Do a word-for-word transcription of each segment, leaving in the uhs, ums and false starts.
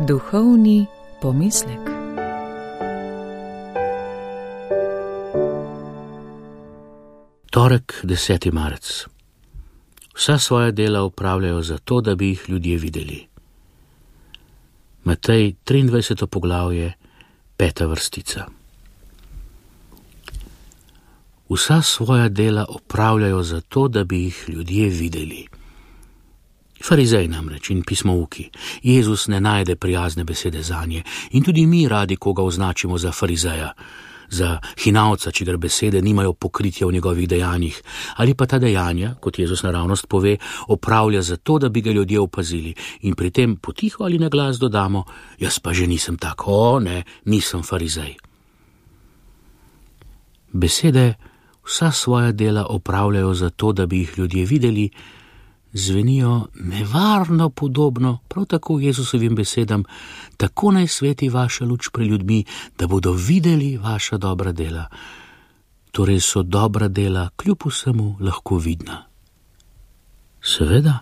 Duhovni pomislek. Torek, deseti marec. Vsa svoja dela opravljajo zato, da bi jih ljudje videli. Matej, triindvajseto poglavje, peta vrstica. Vsa svoja dela opravljajo zato, da bi jih ljudje videli. Farizej namreč in pismouki. Jezus ne najde prijazne besede zanje in tudi mi radi koga označimo za farizeja, za hinavca, čigar besede nimajo pokritja v njegovih dejanjih, ali pa ta dejanja, kot Jezus naravnost pove, opravlja zato, da bi ga ljudje opazili in pri tem potiho ali na glas dodamo, jaz pa že nisem tak, o ne, nisem farizej. Besede vsa svoja dela opravljajo zato, da bi jih ljudje videli, zvenijo nevarno podobno prav tako Jezusovim besedam, tako naj sveti vaša luč pri ljudmi, da bodo videli vaša dobra dela. Torej so dobra dela kljub vsemu lahko vidna. Seveda,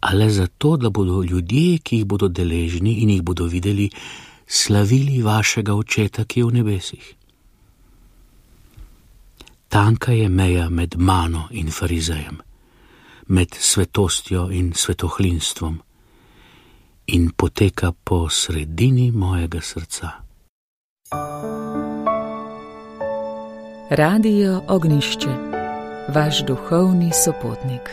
a le zato, da bodo ljudje, ki jih bodo deležni in jih bodo videli, slavili vašega Očeta, ki je v nebesih. Tanka je meja med mano in farizejem, med svetostjo in svetohlinstvom in poteka po sredini mojega srca. Radio Ognjišče, vaš duhovni sopotnik.